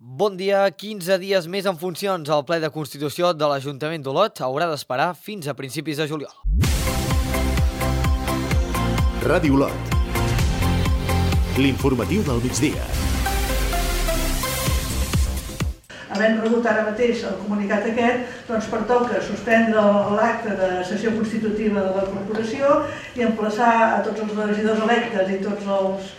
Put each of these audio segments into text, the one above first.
Bon dia, 15 dies més en funcions. El ple de Constitució de l'Ajuntament d'Olot haurà d'esperar fins a principis de juliol. Ràdio Olot. L'informatiu del migdia. Havent rebut ara mateix el comunicat aquest, doncs pertoca suspendre l'acte de sessió constitutiva de la corporació i emplaçar a tots els regidors electes i tots els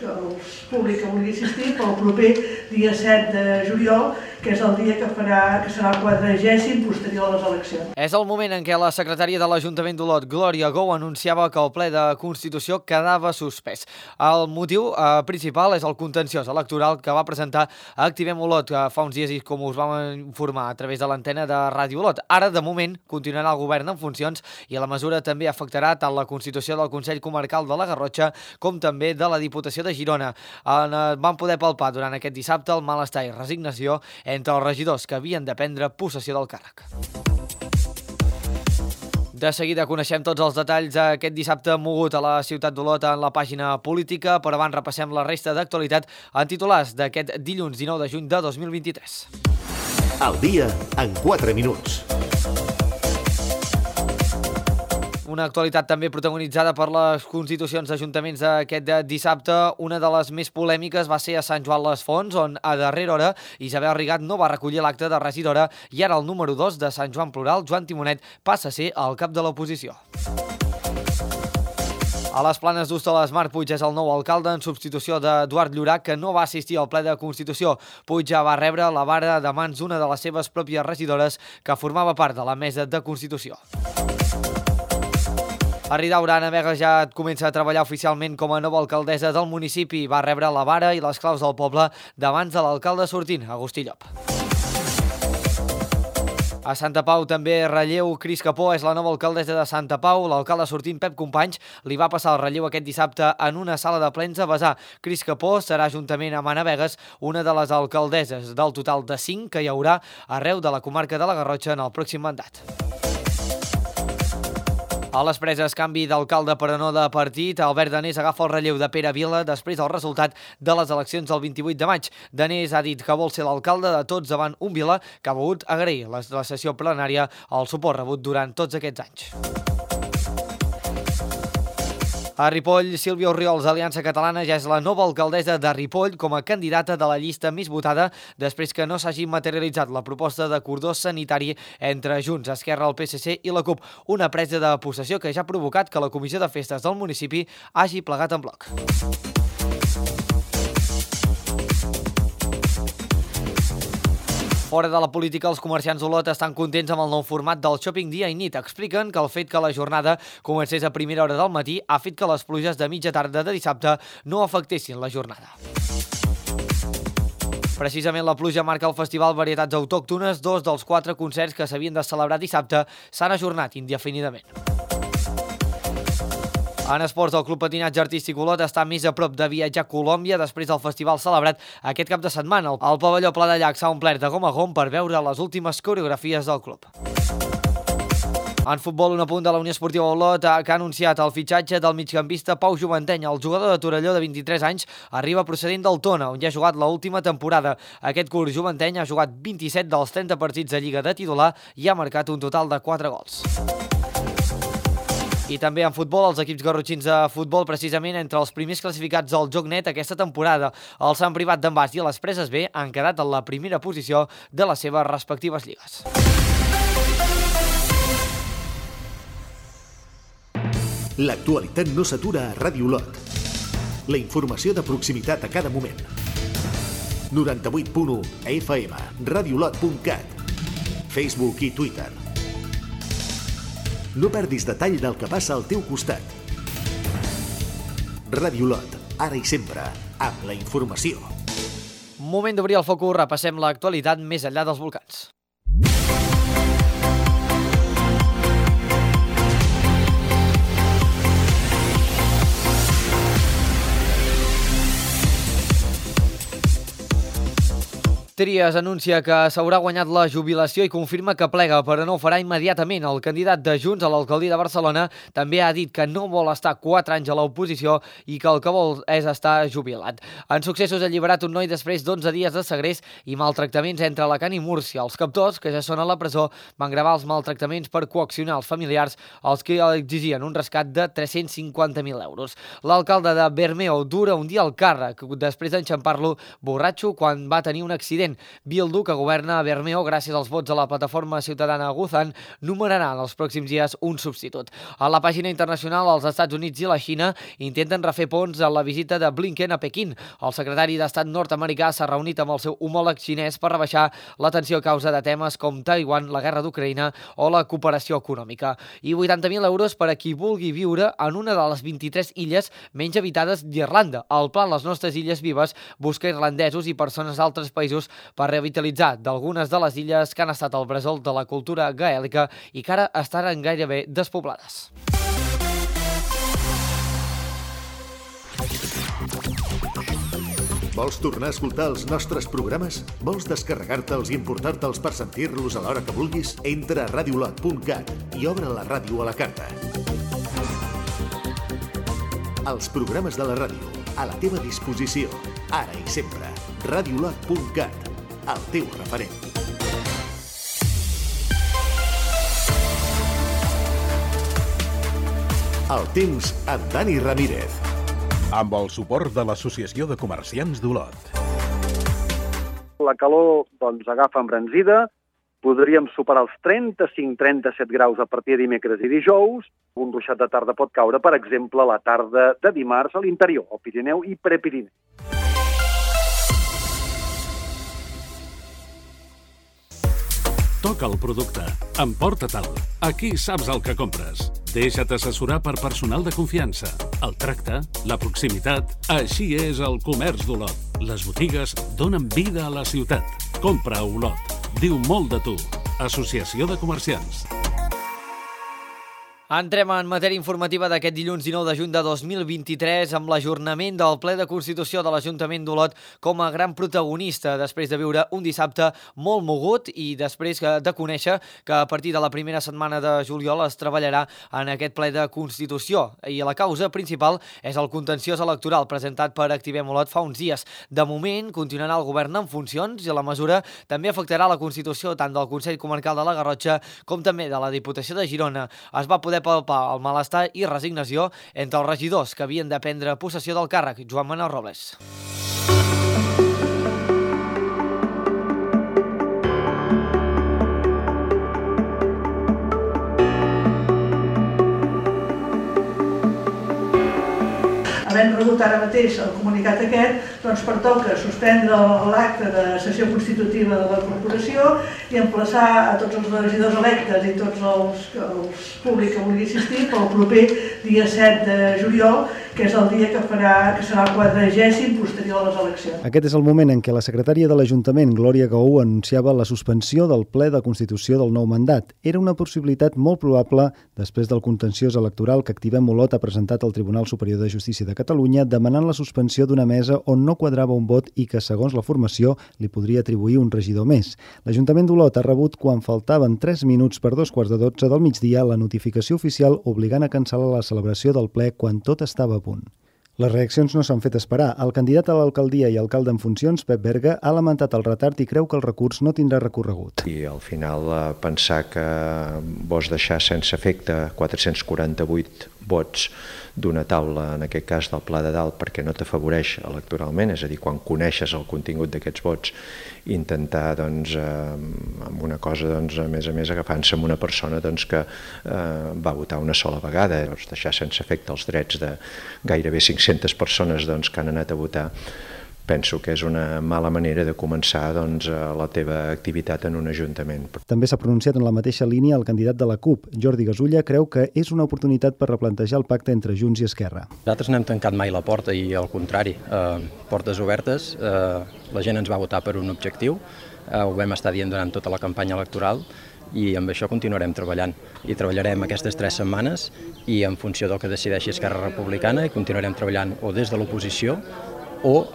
públics que vulgui assistir pel proper dia 7 de juliol, que és el dia que serà el 40è posterior a les eleccions. És el moment en què la secretària de l'Ajuntament d'Olot, Glòria Gou, anunciava que el ple de Constitució quedava suspès. El motiu principal és el contenciós electoral que va presentar Activem Olot fa uns dies i com us vam informar a través de l'antena de Ràdio Olot. Ara, de moment, continuarà el govern en funcions i la mesura també afectarà tant la Constitució del Consell Comarcal de la Garrotxa com també de la Diputació de Girona. Van poder palpar durant aquest dissabte el malestar i resignació entre els regidors que havien de prendre possessió del càrrec. De seguida coneixem tots els detalls d'aquest dissabte mogut a la ciutat d'Olot en la pàgina política, però abans repassem la resta d'actualitat en titulars d'aquest dilluns 19 de juny de 2023. Al dia en 4 minuts. Una actualitat també protagonitzada per les constitucions d'ajuntaments d'aquest dissabte. Una de les més polèmiques va ser a Sant Joan les Fonts, on a darrera hora Isabel Rigat no va recollir l'acte de regidora i ara el número 2 de Sant Joan Plural, Joan Timonet, passa a ser el cap de l'oposició. A les Planes d'Hostoles, Marc Puig és el nou alcalde en substitució d'Eduard Llorach, que no va assistir al ple de Constitució. Puig ja va rebre la vara de mans d'una de les seves pròpies regidores que formava part de la mesa de Constitució. A Ridaura, Anna Vega ja comença a treballar oficialment com a nova alcaldessa del municipi. Va rebre la vara i les claus del poble de mans de l'alcalde sortint, Agustí Llop. A Santa Pau també relleu. Cris Capó és la nova alcaldessa de Santa Pau. L'alcalde sortint, Pep Companys, li va passar el relleu aquest dissabte en una sala de plens a Besar. Cris Capó serà, juntament amb Anna Vegas, una de les alcaldesses del total de 5 que hi haurà arreu de la comarca de la Garrotxa en el pròxim mandat. A les Preses, canvi d'alcalde però no de partit. Albert Danés agafa el relleu de Pere Vila després del resultat de les eleccions del 28 de maig. Danés ha dit que vol ser l'alcalde de tots davant un Vila que ha volgut agrair la sessió plenària el suport rebut durant tots aquests anys. A Ripoll, Sílvia Orriols, Aliança Catalana, ja és la nova alcaldessa de Ripoll com a candidata de la llista més votada després que no s'hagi materialitzat la proposta de cordó sanitari entre Junts, Esquerra, el PSC i la CUP. Una presa de possessió que ja ha provocat que la Comissió de Festes del municipi hagi plegat en bloc. Fora de la política, els comerciants d'Olot estan contents amb el nou format del Shopping dia i nit. Expliquen que el fet que la jornada comencés a primera hora del matí ha fet que les pluges de mitja tarda de dissabte no afectessin la jornada. Precisament la pluja marca el festival Varietats Autòctones. 2 dels 4 concerts que s'havien de celebrar dissabte s'han ajornat indefinidament. En esports, el Club Patinatge Artístic Olot està més a prop de viatjar a Colòmbia després del festival celebrat aquest cap de setmana. El pavelló Pla de Llac s'ha omplert de gom a gom per veure les últimes coreografies del club. En futbol, un apunt de la Unió Esportiva Olot que ha anunciat el fitxatge del migcampista Pau Juventeny. El jugador de Torelló de 23 anys arriba procedent del Tona, on ja ha jugat l'última temporada. Aquest curs, Juventeny ha jugat 27 dels 30 partits de Lliga de titular i ha marcat un total de 4 gols. I també en futbol, els equips garrotxins de futbol, precisament entre els primers classificats del Joc Net aquesta temporada. El Sant Privat d'en Bas i les Preses B han quedat en la primera posició de les seves respectives lligues. L'actualitat no s'atura a Ràdio Olot. La informació de proximitat a cada moment. 98.1 FM, radioolot.cat, Facebook i Twitter. No perdis detall del que passa al teu costat. Ràdio Olot, ara i sempre, amb la informació. Moment d'obrir el focus, repassem l'actualitat més enllà dels volcans. Trias anuncia que s'haurà guanyat la jubilació i confirma que plega, però no ho farà immediatament. El candidat de Junts a l'alcaldia de Barcelona també ha dit que no vol estar 4 anys a l'oposició i que el que vol és estar jubilat. En successos ha alliberat un noi després d'11 dies de segrest i maltractaments entre Alacant i Múrcia. Els captors, que ja són a la presó, van gravar els maltractaments per coaccionar els familiars, als que exigien un rescat de 350.000 euros. L'alcalde de Bermeo dura un dia al càrrec, després d'enxampar-lo borratxo quan va tenir un accident. Bildu, que governa a Bermeo gràcies als vots de la plataforma ciutadana Guzan, numerarà en els pròxims dies un substitut. A la pàgina internacional, els Estats Units i la Xina intenten refer ponts a la visita de Blinken a Pequín. El secretari d'Estat nord-americà s'ha reunit amb el seu homòleg xinès per rebaixar la tensió a causa de temes com Taiwan, la guerra d'Ucraïna o la cooperació econòmica. I 80.000 euros per a qui vulgui viure en una de les 23 illes menys habitades d'Irlanda. El pla Les Nostres Illes Vives busca irlandesos i persones d'altres països per revitalitzar d'algunes de les illes que han estat el bressol de la cultura gaèlica i que ara estan gairebé despoblades. Vols tornar a escoltar els nostres programes? Vols descarregar-te'ls i importar-te'ls per sentir-los a l'hora que vulguis? Entra a radiolot.cat i obre la ràdio a la carta. Els programes de la ràdio, a la teva disposició, ara i sempre. Radiolot.cat, el teu referent. El temps amb Dani Ramírez. Amb el suport de l'Associació de Comerciants d'Olot. La calor agafa embranzida, podríem superar els 35-37 graus a partir de dimecres i dijous. Un ruixat de tarda pot caure, per exemple, la tarda de dimarts a l'interior, al Pirineu i Prepirineu. Toca el producte. Emporta-te'l. Aquí saps el que compres. Deixa't assessorar per personal de confiança. El tracte, la proximitat... Així és el comerç d'Olot. Les botigues donen vida a la ciutat. Compra a Olot. Diu molt de tu. Associació de Comerciants. Entrem en matèria informativa d'aquest dilluns 19 de juny de 2023 amb l'ajornament del ple de Constitució de l'Ajuntament d'Olot com a gran protagonista després de viure un dissabte molt mogut i després de conèixer que a partir de la primera setmana de juliol es treballarà en aquest ple de Constitució. I la causa principal és el contenciós electoral presentat per Activem Olot fa uns dies. De moment, continuarà el govern en funcions i la mesura també afectarà la Constitució tant del Consell Comarcal de la Garrotxa com també de la Diputació de Girona. Es va poder palpar el malestar i resignació entre els regidors que havien de prendre possessió del càrrec. Joan Manuel Robles. Havent rebut ara mateix el comunicat aquest, doncs pertoca suspendre l'acte de sessió constitutiva de la corporació i emplaçar a tots els regidors electes i tots els públics que vulgui assistir pel proper dia 7 de juliol, que és el dia que serà el 40è posterior a les eleccions. Aquest és el moment en què la secretària de l'Ajuntament, Glòria Gaú, anunciava la suspensió del ple de Constitució del nou mandat. Era una possibilitat molt probable després del contenciós electoral que Activem Olot ha presentat al Tribunal Superior de Justícia de Catalunya demanant la suspensió d'una mesa on no quadrava un vot i que, segons la formació, li podria atribuir un regidor més. L'Ajuntament d'Olot ha rebut, quan faltaven 3 minuts per 2:15 del migdia, la notificació oficial obligant a cancel·lar la celebració del ple quan tot estava a punt. Les reaccions no s'han fet esperar. El candidat a l'alcaldia i alcalde en funcions, Pep Berga, ha lamentat el retard i creu que el recurs no tindrà recorregut. I al final pensar que vols deixar sense efecte 448 vots d'una taula, en aquest cas del Pla de Dalt, perquè no t'afavoreix electoralment, és a dir, quan coneixes el contingut d'aquests vots, intentar, amb una cosa, a més agafant-se amb una persona que va votar una sola vegada, deixar sense efecte els drets de gairebé 500 persones que han anat a votar, penso que és una mala manera de començar la teva activitat en un ajuntament. També s'ha pronunciat en la mateixa línia el candidat de la CUP. Jordi Gasulla creu que és una oportunitat per replantejar el pacte entre Junts i Esquerra. Nosaltres no hem tancat mai la porta i al contrari, portes obertes, la gent ens va votar per un objectiu, ho vam estar dient durant tota la campanya electoral i amb això continuarem treballant. I treballarem aquestes 3 setmanes i en funció del que decideixi Esquerra Republicana i continuarem treballant o des de l'oposició o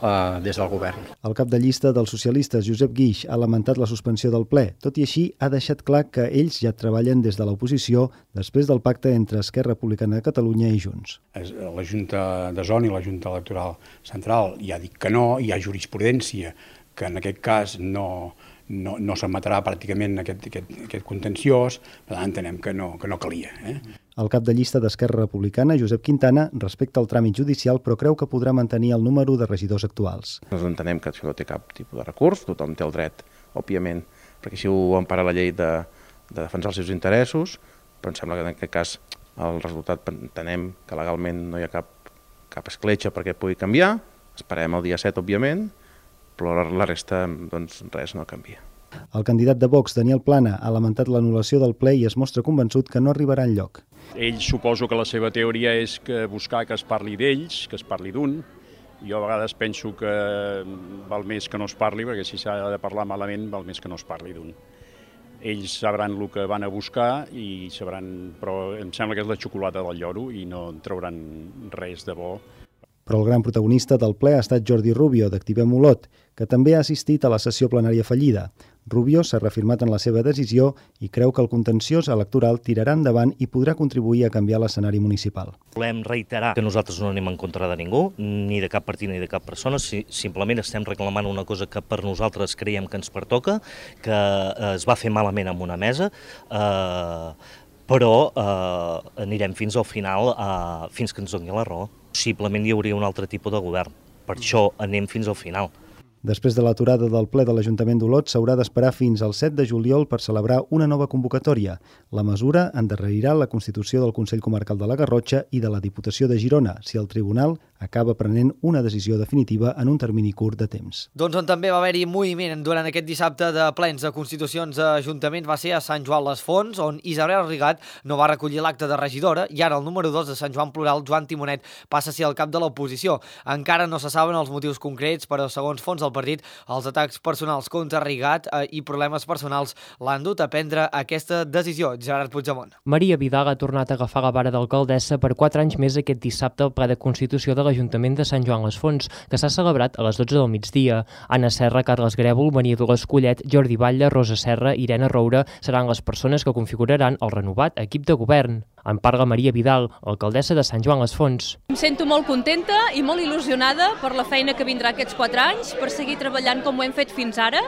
des del govern. El cap de llista dels socialistes, Josep Guix, ha lamentat la suspensió del ple. Tot i així, ha deixat clar que ells ja treballen des de l'oposició després del pacte entre Esquerra Republicana de Catalunya i Junts. La Junta de Zona i la Junta Electoral Central ja ha dit que no, hi ha jurisprudència que en aquest cas no s'admetrà pràcticament aquest contenciós, per tant entenem que no calia. El cap de llista d'Esquerra Republicana, Josep Quintana, respecta el tràmit judicial però creu que podrà mantenir el número de regidors actuals. Nosaltres entenem que això no té cap tipus de recurs, tothom té el dret, òbviament, perquè així ho empara la llei de defensar els seus interessos, però em sembla que en aquest cas el resultat entenem que legalment no hi ha cap escletxa perquè pugui canviar, esperem el dia 7, òbviament, però la resta, doncs, res no canvia. El candidat de Vox, Daniel Plana, ha lamentat l'anul·lació del ple i es mostra convençut que no arribarà enlloc. Ell suposo que la seva teoria és buscar que es parli d'ells, que es parli d'un. Jo a vegades penso que val més que no es parli, perquè si s'ha de parlar malament val més que no es parli d'un. Ells sabran el que van a buscar i sabran, però em sembla que és la xocolata del lloro i no en trauran res de bo. Però el gran protagonista del ple ha estat Jordi Rubio, d'Activem Olot, que també ha assistit a la sessió plenària fallida. Rubio s'ha reafirmat en la seva decisió i creu que el contenciós electoral tirarà endavant i podrà contribuir a canviar l'escenari municipal. Volem reiterar que nosaltres no anem en contra de ningú, ni de cap partit ni de cap persona, simplement estem reclamant una cosa que per nosaltres creiem que ens pertoca, que es va fer malament en una mesa, però anirem fins al final, fins que ens doni la raó. Possiblement hi hauria un altre tipus de govern, per això anem fins al final. Després de l'aturada del ple de l'Ajuntament d'Olot, s'haurà d'esperar fins al 7 de juliol per celebrar una nova convocatòria. La mesura endarrerirà la constitució del Consell Comarcal de la Garrotxa i de la Diputació de Girona, si el Tribunal acaba prenent una decisió definitiva en un termini curt de temps. Doncs on també va haver-hi moviment durant aquest dissabte de plens de constitucions a Ajuntaments va ser a Sant Joan les Fonts, on Isabel Rigat no va recollir l'acte de regidora i ara el número 2 de Sant Joan Plural, Joan Timonet, passa a ser el cap de l'oposició. Encara no se saben els motius concrets, però segons fons del partit, els atacs personals contra Rigat i problemes personals l'han dut a prendre aquesta decisió. Gerard Puigdemont. Maria Vidal ha tornat a agafar la vara d'alcaldessa per 4 anys més aquest dissabte al ple de Constitució de l'Ajuntament de Sant Joan les Fonts, que s'ha celebrat a les 12 del migdia. Anna Serra, Carles Grèvol, Maria Dolors Collet, Jordi Batlle, Rosa Serra i Irene Roure seran les persones que configuraran el renovat equip de govern. En parla Maria Vidal, alcaldessa de Sant Joan les Fonts. Em sento molt contenta i molt il·lusionada per la feina que vindrà aquests 4 anys, per seguir treballant com ho hem fet fins ara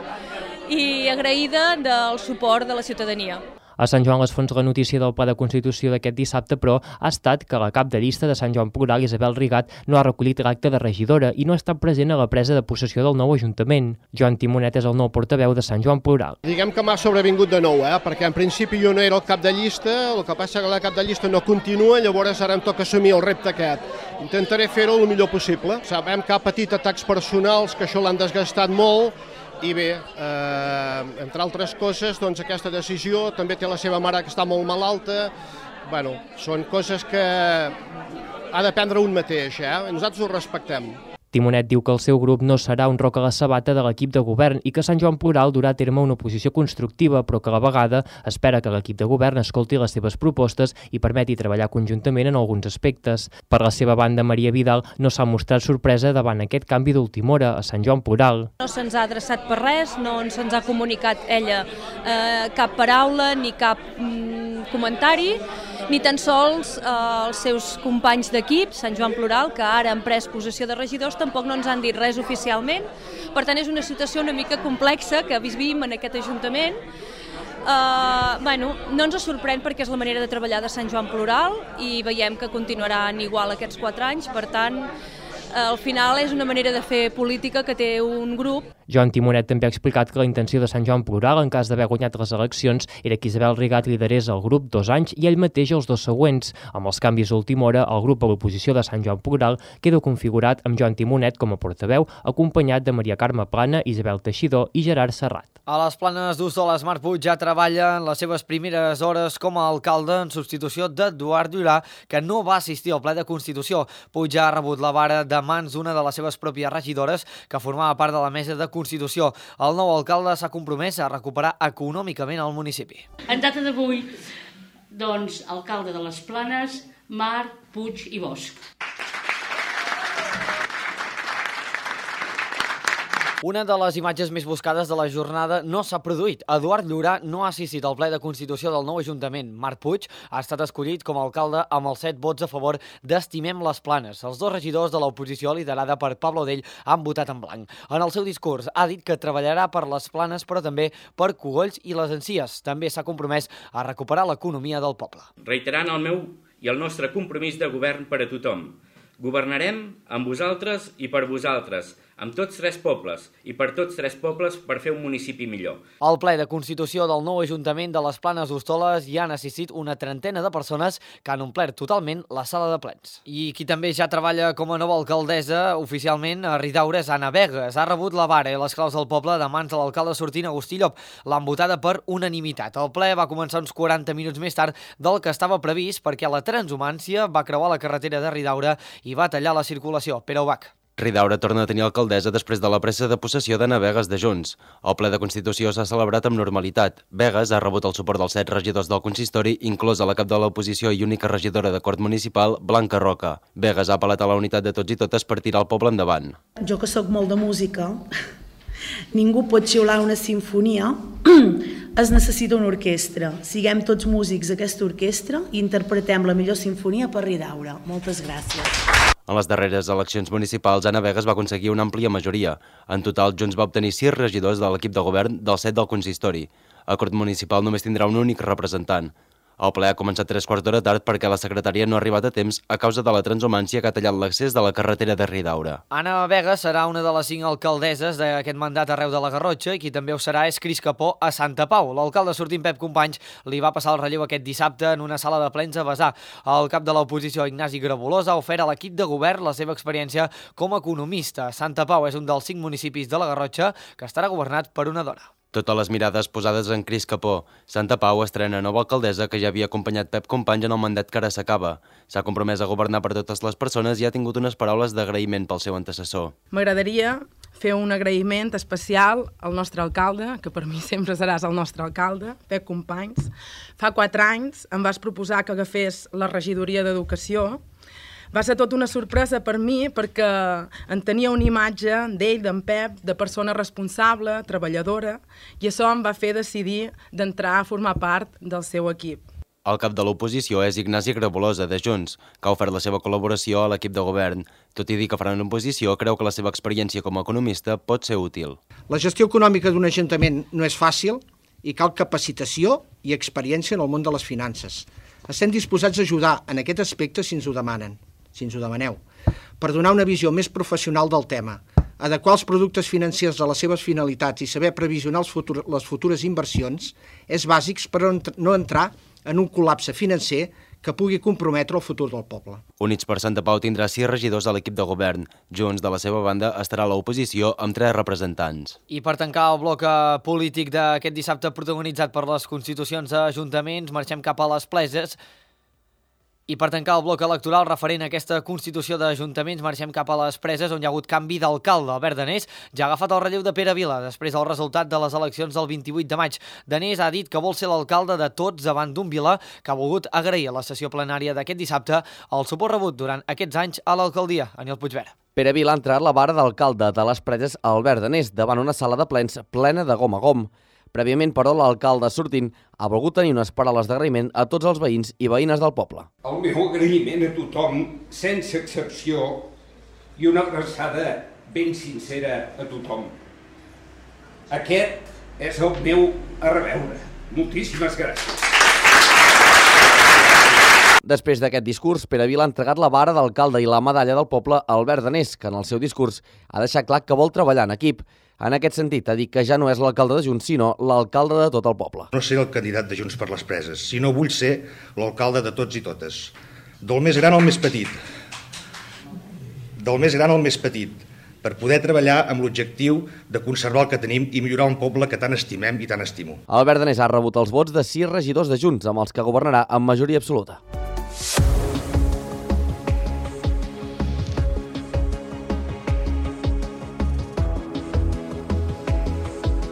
i agraïda del suport de la ciutadania. A Sant Joan les Fonts la notícia del ple de Constitució d'aquest dissabte, però, ha estat que la cap de llista de Sant Joan Plural, Isabel Rigat, no ha recollit l'acte de regidora i no ha estat present a la presa de possessió del nou Ajuntament. Joan Timonet és el nou portaveu de Sant Joan Plural. Diguem que m'ha sobrevingut de nou, perquè en principi jo no era el cap de llista, el que passa que la cap de llista no continua, llavors ara em toca assumir el repte aquest. Intentaré fer-ho el millor possible. Sabem que ha patit atacs personals, que això l'han desgastat molt, i bé, entre altres coses, doncs aquesta decisió també té la seva mare que està molt malalta. Bueno, són coses que ha de prendre un mateix, nosaltres ho respectem. Timonet diu que el seu grup no serà un roc a la sabata de l'equip de govern i que Sant Joan Plural durà a terme una oposició constructiva, però que a la vegada espera que l'equip de govern escolti les seves propostes i permeti treballar conjuntament en alguns aspectes. Per la seva banda, Maria Vidal no s'ha mostrat sorpresa davant aquest canvi d'última hora a Sant Joan Plural. No se'ns ha adreçat per res, no se'ns ha comunicat ella cap paraula ni cap comentari, ni tan sols els seus companys d'equip, Sant Joan Plural, que ara han pres possessió de regidors, tampoc no ens han dit res oficialment. Per tant, és una situació una mica complexa que vivim en aquest Ajuntament. No ens sorprèn perquè és la manera de treballar de Sant Joan Plural i veiem que continuaran igual aquests 4 anys, per tant, al final és una manera de fer política que té un grup. Joan Timonet també ha explicat que la intenció de Sant Joan Plural, en cas d'haver guanyat les eleccions, era que Isabel Rigat liderés el grup 2 anys i ell mateix els 2 següents. Amb els canvis d'última hora, el grup a l'oposició de Sant Joan Plural queda configurat amb Joan Timonet com a portaveu, acompanyat de Maria Carme Plana, Isabel Teixidor i Gerard Serrat. A les Planes d'Ossoles, Marc Puig ja treballa en les seves primeres hores com a alcalde en substitució d'Eduard Durà, que no va assistir al ple de Constitució. Puig ja ha rebut la vara de mans d'una de les seves pròpies regidores que formava part de la mesa de Constitució. El nou alcalde s'ha compromès a recuperar econòmicament el municipi. En data d'avui, doncs, alcalde de les Planes, Marc Puig i Bosch. Una de les imatges més buscades de la jornada no s'ha produït. Eduard Llorà no ha assistit al ple de constitució del nou Ajuntament. Marc Puig ha estat escollit com a alcalde amb els 7 vots a favor d'Estimem les Planes. Els 2 regidors de l'oposició, liderada per Pablo Dell, han votat en blanc. En el seu discurs ha dit que treballarà per les Planes, però també per Cogolls i les Encies. També s'ha compromès a recuperar l'economia del poble. Reiterant el meu i el nostre compromís de govern per a tothom. Governarem amb vosaltres i per vosaltres, amb tots 3 pobles i per tots 3 pobles per fer un municipi millor. Al ple de constitució del nou Ajuntament de les Planes d'Hostoles hi han assistit una trentena de persones que han omplert totalment la sala de plens. I qui també ja treballa com a nova alcaldessa oficialment a Ridaura és Anna Vegas. Ha rebut la vara i les claus del poble de mans de l'alcalde sortint Agustí Llop. L'han votada per unanimitat. El ple va començar uns 40 minuts més tard del que estava previst perquè la transhumància va creuar la carretera de Ridaura i va tallar la circulació. Pere Ubach. Ridaura torna a tenir alcaldessa després de la presa de possessió d'Anna Vegas de Junts. El ple de Constitució s'ha celebrat amb normalitat. Vegas ha rebut el suport dels 7 regidors del consistori, inclosa la cap de l'oposició i única regidora de Cort Municipal, Blanca Roca. Vegas ha apel·lat a la unitat de tots i totes per tirar el poble endavant. Jo que sóc molt de música, ningú pot xiular una sinfonia, es necessita una orquestra. Siguem tots músics d'aquesta orquestra i interpretem la millor sinfonia per Ridaura. Moltes gràcies. En les darreres eleccions municipals, Anna Vegas va aconseguir una àmplia majoria. En total, Junts va obtenir 6 regidors de l'equip de govern dels 7 del consistori. El Cort Municipal només tindrà un únic representant. El ple ha començat 3/4 d'hora tard perquè la secretària no ha arribat a temps a causa de la transhumància que ha tallat l'accés de la carretera de Ridaura. Anna Vegas serà una de les 5 alcaldesses d'aquest mandat arreu de la Garrotxa i qui també ho serà és Cris Capó a Santa Pau. L'alcalde sortint Pep Companys li va passar el relleu aquest dissabte en una sala de plens a Besar. El cap de l'oposició, Ignasi Grabulós, ha ofert a l'equip de govern la seva experiència com a economista. Santa Pau és un dels 5 municipis de la Garrotxa que estarà governat per una dona. Totes les mirades posades en Cris Capó. Santa Pau estrena nova alcaldessa que ja havia acompanyat Pep Companys en el mandat que ara s'acaba. S'ha compromès a governar per totes les persones i ha tingut unes paraules d'agraïment pel seu antecessor. M'agradaria fer un agraïment especial al nostre alcalde, que per mi sempre seràs el nostre alcalde, Pep Companys. Fa 4 anys em vas proposar que agafés la regidoria d'Educació. Va ser tot una sorpresa per mi perquè en tenia una imatge d'ell, d'en Pep, de persona responsable, treballadora, i això em va fer decidir d'entrar a formar part del seu equip. El cap de l'oposició és Ignasi Grabolosa, de Junts, que ha ofert la seva col·laboració a l'equip de govern. Tot i dir que faran oposició, creu que la seva experiència com a economista pot ser útil. La gestió econòmica d'un ajuntament no és fàcil i cal capacitació i experiència en el món de les finances. Estem disposats a ajudar en aquest aspecte si ens ho demanen. Si ens ho demaneu, per donar una visió més professional del tema, adequar els productes financers a les seves finalitats i saber previsionar les futures inversions és bàsic per no entrar en un col·lapse financer que pugui comprometre el futur del poble. Units per Santa Pau tindrà 6 regidors a l'equip de govern. Junts, de la seva banda, estarà a l'oposició amb 3 representants. I per tancar el bloc polític d'aquest dissabte protagonitzat per les constitucions d'ajuntaments, marxem cap a les Pleses. I per tancar el bloc electoral referent a aquesta constitució d'ajuntaments, marxem cap a les Preses, on hi ha hagut canvi d'alcalde. Albert Danés ja ha agafat el relleu de Pere Vila després del resultat de les eleccions del 28 de maig. Danés ha dit que vol ser l'alcalde de tots davant d'un Vila que ha volgut agrair a la sessió plenària d'aquest dissabte el suport rebut durant aquests anys a l'alcaldia. Aniol Puigvera. Pere Vila ha entrat la vara d'alcalde de les Preses a Albert Danés davant una sala de plens plena de gom a gom. Prèviament, però, l'alcalde sortint ha volgut tenir unes paraules d'agraïment a tots els veïns i veïnes del poble. El meu agraïment a tothom, sense excepció, i una abraçada ben sincera a tothom. Aquest és el meu a reveure. Moltíssimes gràcies. Després d'aquest discurs, Pere Vila ha entregat la vara d'alcalde i la medalla del poble a Albert Danés, que en el seu discurs ha deixat clar que vol treballar en equip. En aquest sentit, ha dit que ja no és l'alcalde de Junts, sinó l'alcalde de tot el poble. No seré el candidat de Junts per les Preses, sinó vull ser l'alcalde de tots i totes. Del més gran al més petit. Del més gran al més petit, per poder treballar amb l'objectiu de conservar el que tenim i millorar un poble que tant estimem i tant estimo. Albert Danés ha rebut els vots de 6 regidors de Junts, amb els que governarà amb majoria absoluta.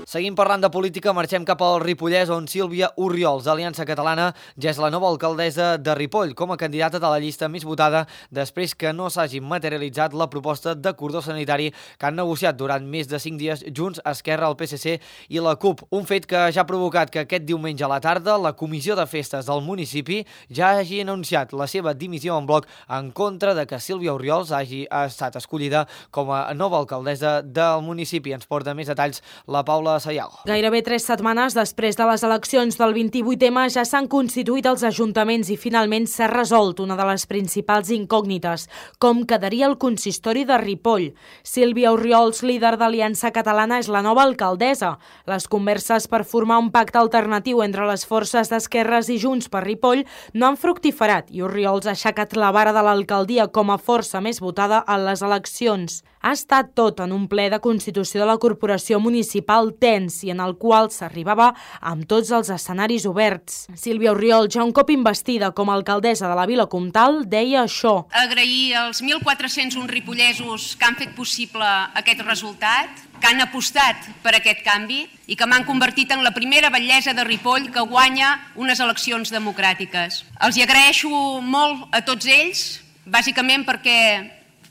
Seguim parlant de política, marxem cap al Ripollès, on Sílvia Orriols, d'Aliança Catalana, ja és la nova alcaldessa de Ripoll, com a candidata de la llista més votada després que no s'hagi materialitzat la proposta de cordó sanitari que han negociat durant més de 5 dies Junts, Esquerra, el PSC i la CUP. Un fet que ja ha provocat que aquest diumenge a la tarda la Comissió de Festes del municipi ja hagi anunciat la seva dimissió en bloc en contra de que Sílvia Orriols hagi estat escollida com a nova alcaldessa del municipi. Ens porta més detalls la Paula Sayago. Gairebé 3 setmanes després de les eleccions del 28M ja s'han constituït els ajuntaments i finalment s'ha resolt una de les principals incògnites, com quedaria el consistori de Ripoll. Sílvia Orriols, líder d'Aliança Catalana, és la nova alcaldessa. Les converses per formar un pacte alternatiu entre les forces d'Esquerres i Junts per Ripoll no han fructiferat i Orriols ha aixecat la vara de l'alcaldia com a força més votada en les eleccions. Ha estat tot en un ple de constitució de la corporació municipal tens i en el qual s'arribava amb tots els escenaris oberts. Sílvia Orriols, ja un cop investida com a alcaldessa de la Vila Comtal, deia això. Agrair als 1.401 ripollesos que han fet possible aquest resultat, que han apostat per aquest canvi i que m'han convertit en la primera batllessa de Ripoll que guanya unes eleccions democràtiques. Els hi agraeixo molt a tots ells, bàsicament perquè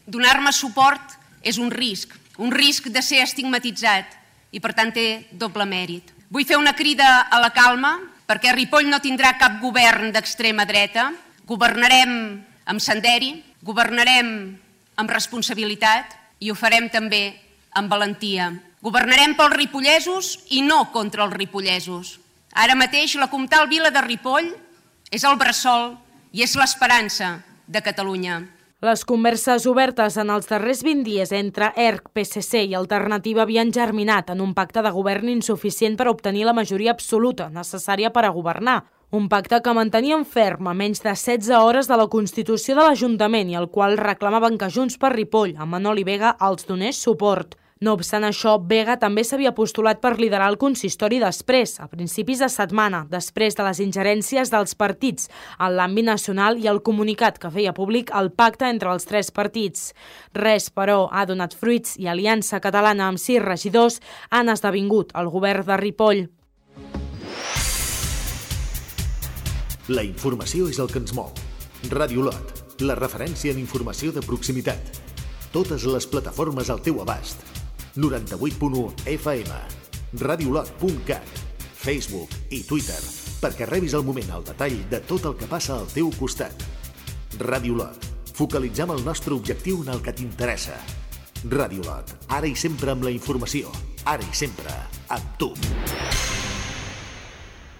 donar-me suport és un risc de ser estigmatitzat i per tant té doble mèrit. Vull fer una crida a la calma perquè Ripoll no tindrà cap govern d'extrema dreta. Governarem amb senderi, governarem amb responsabilitat i ho farem també amb valentia. Governarem pels ripollesos i no contra els ripollesos. Ara mateix la Comtal Vila de Ripoll és el bressol i és l'esperança de Catalunya. Les converses obertes en els darrers 20 dies entre ERC, PSC i Alternativa havien germinat en un pacte de govern insuficient per obtenir la majoria absoluta necessària per a governar. Un pacte que mantenien ferm a menys de 16 hores de la constitució de l'Ajuntament i al qual reclamaven que Junts per Ripoll, amb Manoli Vega, els donés suport. No obstant això, Vega també s'havia postulat per liderar el consistori després, a principis de setmana, després de les ingerències dels partits en l'àmbit nacional i el comunicat que feia públic el pacte entre els 3 partits. Res, però, ha donat fruits i Aliança Catalana amb 6 regidors han esdevingut el govern de Ripoll. La informació és el que ens mou. Ràdio Lot, la referència en informació de proximitat. Totes les plataformes al teu abast. 98.1 FM, radiolot.cat, Facebook i Twitter, perquè rebis al moment el detall de tot el que passa al teu costat. Ràdio Lot, focalitzem el nostre objectiu en el que t'interessa. Ràdio Lot, ara i sempre amb la informació, ara i sempre amb tu.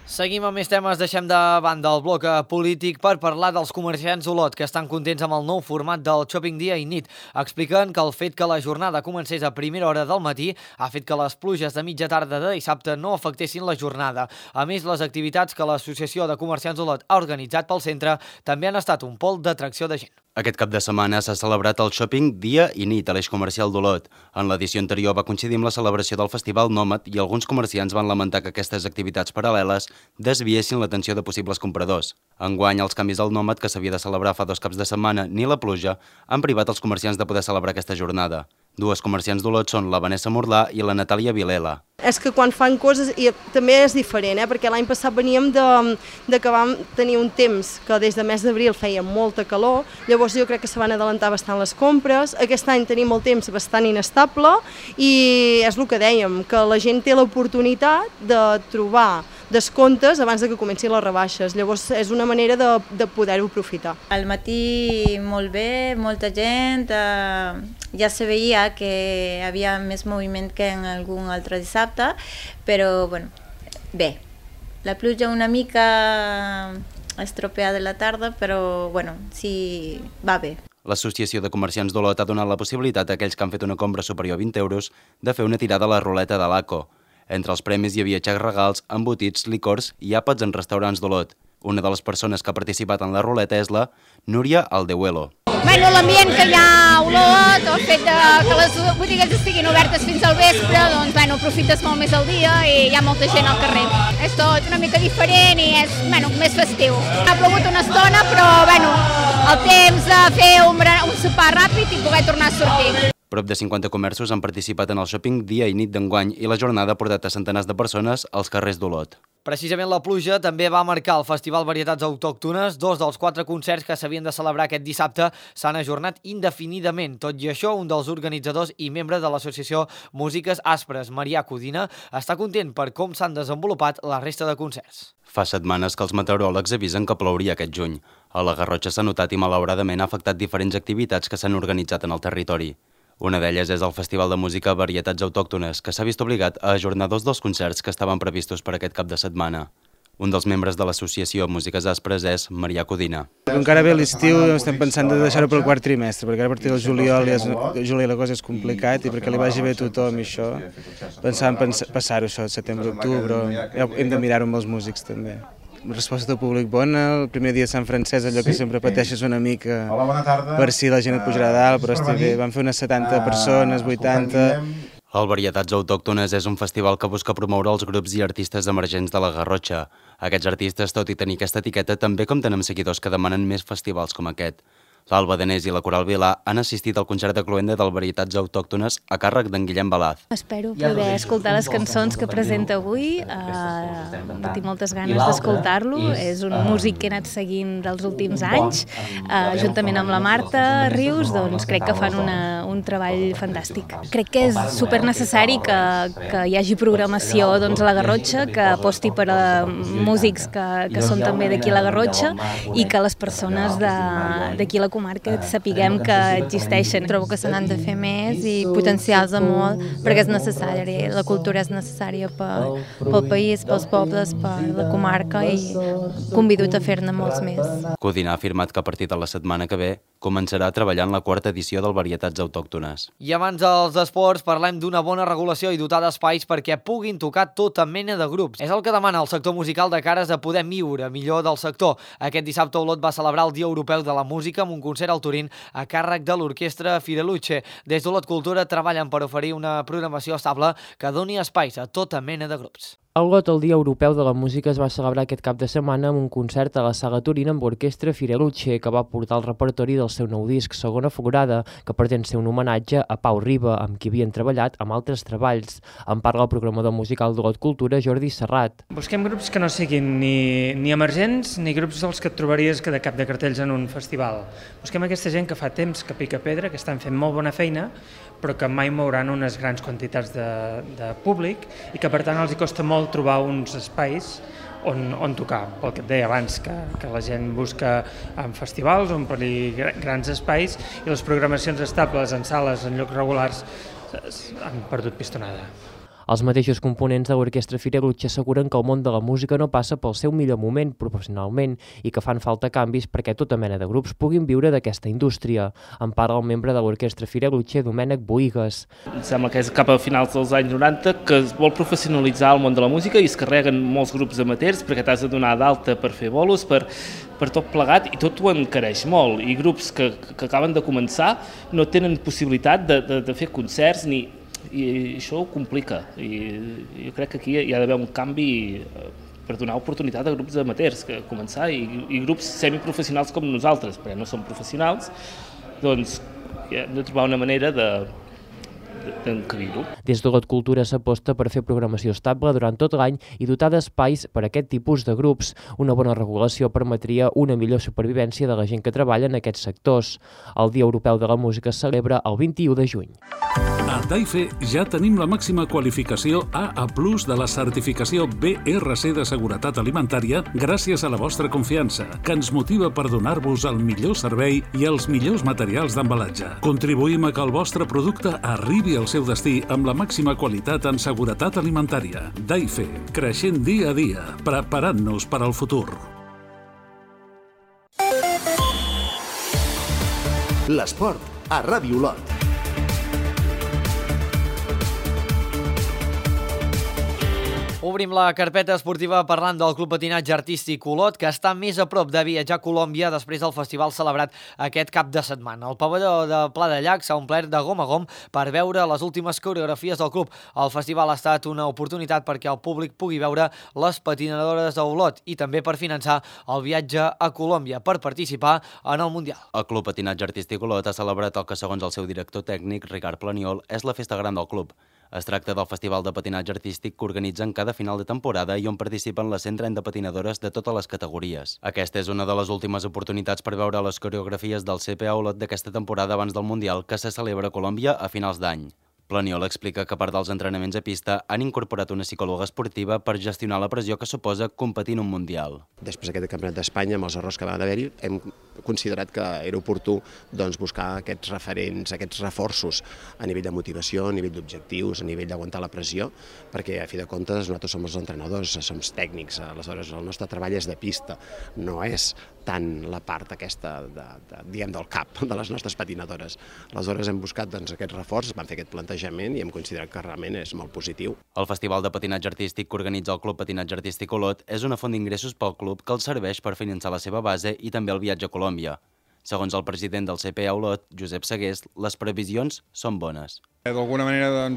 Seguim amb més temes, deixem de banda el bloc polític per parlar dels comerciants d'Olot que estan contents amb el nou format del Shopping dia i nit. Expliquen que el fet que la jornada comencés a primera hora del matí ha fet que les pluges de mitja tarda de dissabte no afectessin la jornada. A més, les activitats que l'Associació de Comerciants d'Olot ha organitzat pel centre també han estat un pol d'atracció de gent. Aquest cap de setmana s'ha celebrat el Shopping dia i nit a l'eix comercial d'Olot. En l'edició anterior va coincidir amb la celebració del Festival Nòmad i alguns comerciants van lamentar que aquestes activitats paral·leles desviessin l'atenció de possibles compradors. Enguany, els canvis al Nòmad, que s'havia de celebrar fa 2 caps de setmana, ni la pluja, han privat els comerciants de poder celebrar aquesta jornada. 2 comerciants d'Olot són la Vanessa Morlà i la Natàlia Vilela. És que quan fan coses, i també és diferent, perquè l'any passat veníem de que vam tenir un temps que des de mes d'abril feia molta calor, llavors jo crec que se van adelantar bastant les compres, aquest any tenim el temps bastant inestable i és el que dèiem, que la gent té l'oportunitat de trobar descomptes abans de que comencin les rebaixes, llavors és una manera de poder-ho aprofitar. Al matí molt bé, molta gent, ja se veia que hi havia més moviment que en algun altre dissabte, però bueno, bé, la pluja una mica estropeada de la tarda, però bueno, sí, va bé. L'Associació de Comerciants d'Olot ha donat la possibilitat a aquells que han fet una compra superior a 20 euros de fer una tirada a la ruleta de l'ACO. Entre els premis hi havia xecs regals, embotits, licors i àpats en restaurants d'Olot. Una de les persones que ha participat en la ruleta és la Núria Aldehuelo. Bueno, l'ambient que hi ha a Olot, el fet que les botigues estiguin obertes fins al vespre, doncs bueno, aprofites molt més el dia i hi ha molta gent al carrer. És tot una mica diferent i és més festiu. Ha plogut una estona, però bueno, el temps de fer un sopar ràpid i poder tornar a sortir. Prop de 50 comerços han participat en el shopping dia i nit d'enguany i la jornada ha portat a centenars de persones als carrers d'Olot. Precisament la pluja també va marcar el Festival Varietats Autòctones. 2 dels 4 concerts que s'havien de celebrar aquest dissabte s'han ajornat indefinidament. Tot i això, un dels organitzadors i membre de l'associació Músiques Aspres, Marià Codina, està content per com s'han desenvolupat la resta de concerts. Fa setmanes que els meteoròlegs avisen que plouria aquest juny. A la Garrotxa s'ha notat i malauradament ha afectat diferents activitats que s'han organitzat en el territori. Una d'elles és el Festival de Música Varietats Autòctones, que s'ha vist obligat a ajornar 2 dels concerts que estaven previstos per aquest cap de setmana. Un dels membres de l'associació Músiques Aspres és Marià Codina. Encara ve l'estiu, estem pensant de deixar-ho pel quart trimestre, perquè ara a partir del juliol la cosa és complicat i perquè li vagi bé a tothom i això, pensàvem passar-ho això, setembre-octubre, hem de mirar-ho amb els músics també. Resposta del públic bona, el primer dia de Sant Francesc, allò que sempre pateixes una mica per si la gent et pujarà dalt, però estic bé, vam fer unes 70 persones, 80... El Varietats Autòctones és un festival que busca promoure els grups i artistes emergents de la Garrotxa. Aquests artistes, tot i tenir aquesta etiqueta, també compten amb seguidors que demanen més festivals com aquest. L'Alba Danés i la Coral Vilà han assistit al concert de cloenda del Varietats Autòctones a càrrec d'en Guillem Balaz. Espero poder escoltar les cançons que presenta avui, tinc moltes ganes d'escoltar-lo, és un músic que he anat seguint dels últims anys, juntament amb la Marta Rius, doncs crec que fan un treball fantàstic. Crec que és super necessari que hi hagi programació a la Garrotxa, que aposti per a músics que són també d'aquí a la Garrotxa i que les persones d'aquí a la comarca sapiguem que existeixen. Trobo que se n'han de fer més i potenciar-se molt perquè és necessari, la cultura és necessària pel país, pels pobles, per la comarca i convido-te a fer-ne molts més. Codina ha afirmat que a partir de la setmana que ve començarà a treballar en la 4ª edició del Varietats Autòctones. I abans dels esports parlem d'una bona regulació i dotar d'espais perquè puguin tocar tota mena de grups. És el que demana el sector musical de cares a poder viure millor del sector. Aquest dissabte Olot va celebrar el Dia Europeu de la Música amb un concert al Turín a càrrec de l'orquestra Fireluce. Des d'Olot Cultura treballen per oferir una programació estable que doni espais a tota mena de grups. A Olot, el Dia Europeu de la Música es va celebrar aquest cap de setmana amb un concert a la Sala Turín amb l'orquestra Fireluce, que va portar el repertori del seu nou disc, Segona Florada, que pretén ser un homenatge a Pau Riba, amb qui havien treballat amb altres treballs. En parla el programador musical d'Olot Cultura, Jordi Serrat. Busquem grups que no siguin ni emergents ni grups dels que et trobaries de cap de cartells en un festival. Busquem aquesta gent que fa temps que pica pedra, que estan fent molt bona feina, però que mai mouran unes grans quantitats de públic i que per tant els hi costa molt trobar uns espais on tocar, pel que et deia abans, que la gent busca en festivals, omplir grans espais i les programacions estables en sales, en llocs regulars, han perdut pistonada. Els mateixos components de l'orquestra Fireluce asseguren que el món de la música no passa pel seu millor moment professionalment i que fan falta canvis perquè tota mena de grups puguin viure d'aquesta indústria. En parla el membre de l'orquestra Fireluce, Domènec Boïgues. Em sembla que és cap a finals dels anys 90 que es vol professionalitzar el món de la música i es carreguen molts grups amateurs perquè t'has de donar d'alta per fer bolos, per tot plegat, i tot ho encareix molt. I grups que acaben de començar no tenen possibilitat de fer concerts i això ho complica. I jo crec que aquí hi ha d'haver un canvi per donar oportunitat a grups amateurs que començar i grups semiprofessionals com nosaltres, perquè no som professionals, doncs hem de trobar una manera d'encabir-ho. Des d'Olot Cultura s'aposta per fer programació estable durant tot l'any i dotar d'espais per a aquest tipus de grups. Una bona regulació permetria una millor supervivència de la gent que treballa en aquests sectors. El Dia Europeu de la Música es celebra el 21 de juny. A Daife ja tenim la màxima qualificació AA+ de la certificació BRC de seguretat alimentària gràcies a la vostra confiança, que ens motiva per donar-vos el millor servei i els millors materials d'embalatge. Contribuïm a que el vostre producte arribi al seu destí amb la màxima qualitat en seguretat alimentària. Daife, creixent dia a dia, preparant-nos per al futur. L'esport a Ràdio Olot. Obrim la carpeta esportiva parlant del Club Patinatge Artístic Olot, que està més a prop de viatjar a Colòmbia després del festival celebrat aquest cap de setmana. El pavelló de Pla de Llac s'ha omplert de gom a gom per veure les últimes coreografies del club. El festival ha estat una oportunitat perquè el públic pugui veure les patinadores d'Olot i també per finançar el viatge a Colòmbia per participar en el Mundial. El Club Patinatge Artístic Olot ha celebrat el que, segons el seu director tècnic, Ricard Planiol, és la festa gran del club. Es tracta del festival de patinatge artístic que organitzen cada final de temporada i on participen les 130 patinadores de totes les categories. Aquesta és una de les últimes oportunitats per veure les coreografies del CPA Olot d'aquesta temporada abans del Mundial, que se celebra a Colòmbia a finals d'any. Planiol explica que a part dels entrenaments a pista han incorporat una psicòloga esportiva per gestionar la pressió que suposa competir en un Mundial. Després d'aquest campionat d'Espanya, amb els errors que van haver-hi, hem considerat que era oportú buscar aquests referents, aquests reforços a nivell de motivació, a nivell d'objectius, a nivell d'aguantar la pressió, perquè a fi de comptes nosaltres som els entrenadors, som tècnics, aleshores el nostre treball és de pista, no és tant la part aquesta del cap de les nostres patinadores. Aleshores hem buscat aquests reforços, vam fer aquest plantejament i hem considerat que realment és molt positiu. El Festival de Patinatge Artístic que organitza el Club Patinatge Artístic Olot és una font d'ingressos pel club que els serveix per finançar la seva base i també el viatge a Colòmbia. Segons el president del CPA Olot, Josep Segués, les previsions són bones. D'alguna manera,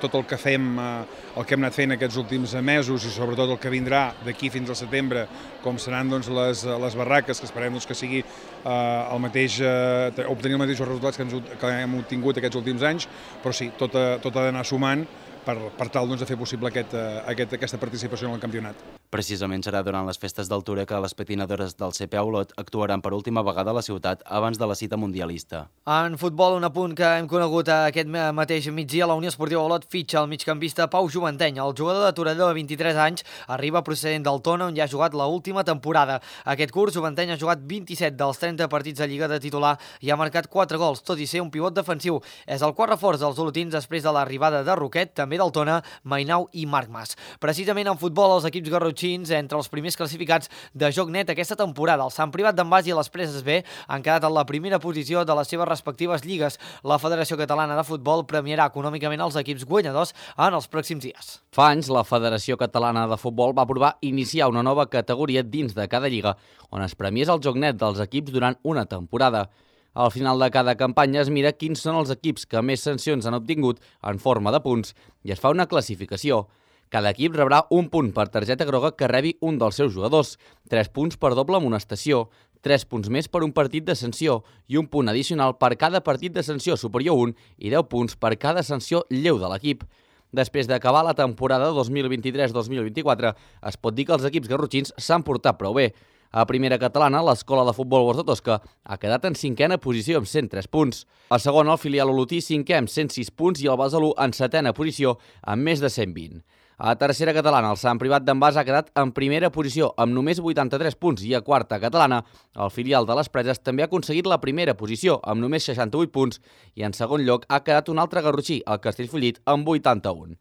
tot el que fem, el que hem anat fent aquests últims mesos i sobretot el que vindrà d'aquí fins al setembre, com seran les barraques, que esperem que sigui obtenir els mateixos resultats que hem obtingut aquests últims anys, però sí, tot ha d'anar sumant per tal de fer possible aquesta participació en el campionat. Precisament serà durant les festes d'altura que les patinadores del CPA Olot actuaran per última vegada a la ciutat abans de la cita mundialista. En futbol, un apunt que hem conegut aquest mateix migdia, la Unió Esportiva Olot fitxa el migcampista Pau Juventeny. El jugador de Torelló de 23 anys arriba procedent del Tona, on ja ha jugat l'última temporada. Aquest curs, Juventeny ha jugat 27 dels 30 partits de Lliga de titular i ha marcat 4 gols, tot i ser un pivot defensiu. És el quart reforç dels olotins després de l'arribada de Roquet, també del Tona, Mainau i Marc Mas. Precisament en futbol, els equips garrotxins, entre els primers classificats de joc net aquesta temporada. El Sant Privat d'en Bas i les Preses B han quedat en la primera posició de les seves respectives lligues. La Federació Catalana de Futbol premiarà econòmicament els equips guanyadors en els pròxims dies. Fa anys, la Federació Catalana de Futbol va aprovar iniciar una nova categoria dins de cada lliga, on es premiés el joc net dels equips durant una temporada. Al final de cada campanya es mira quins són els equips que més sancions han obtingut en forma de punts i es fa una classificació. Cada equip rebrà un punt per targeta groga que rebi un dels seus jugadors, 3 punts per doble amonestació, 3 punts més per un partit de sanció i un punt addicional per cada partit de sanció superior 1 i 10 punts per cada sanció lleu de l'equip. Després d'acabar la temporada 2023-2024, es pot dir que els equips garrotxins s'han portat prou bé. A primera catalana, l'Escola de Futbol Bors de Tosca ha quedat en 5a posició amb 103 punts. A segona, el filial olotí 5è amb 106 punts i el Besalú en 7a posició amb més de 120. A tercera catalana, el Sant Privat d'en Bas ha quedat en primera posició amb només 83 punts i a quarta catalana, el filial de les Preses també ha aconseguit la primera posició amb només 68 punts i en segon lloc ha quedat un altre garrotxí, el Castellfollit, amb 81.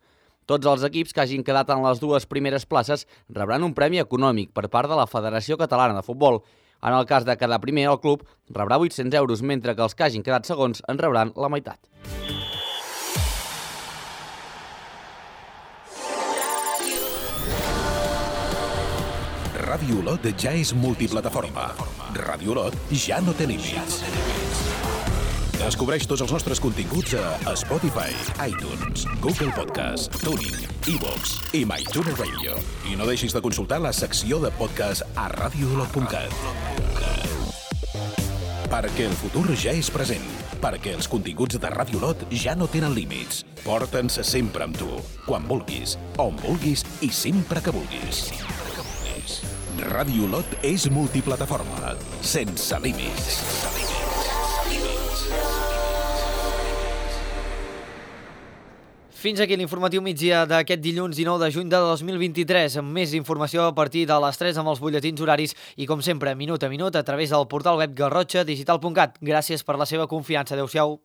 Tots els equips que hagin quedat en les dues primeres places rebran un premi econòmic per part de la Federació Catalana de Futbol. En el cas de quedar primer, el club rebrà 800 euros, mentre que els que hagin quedat segons en rebran la meitat. Ràdio Olot ja és multiplataforma. Ràdio Olot ja no té límits. Descobreix tots els nostres continguts a Spotify, iTunes, Google Podcast, TuneIn, iVoox i MyTuner Radio. I no deixis de consultar la secció de podcast a radioolot.cat. Perquè el futur ja és present. Perquè els continguts de Ràdio Olot ja no tenen límits. Porta'ns sempre amb tu, quan vulguis, on vulguis i sempre que vulguis. Ràdio Olot és multiplataforma, sense límits. Fins aquí l'informatiu migdia d'aquest dilluns 19 de juny de 2023, amb més informació a partir de les 3 amb els butlletins horaris i, com sempre, minut a minut a través del portal web garrotxadigital.cat. Gràcies per la seva confiança. Adéu-siau.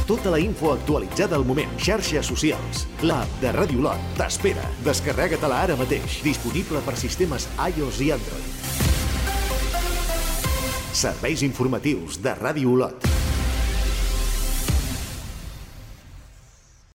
Tota la info actualitzada al moment. Xarxes socials. L'app de Ràdio Olot t'espera. Descarrega-te-la ara mateix. Disponible per sistemes iOS i Android. Serveis informatius de Ràdio Olot.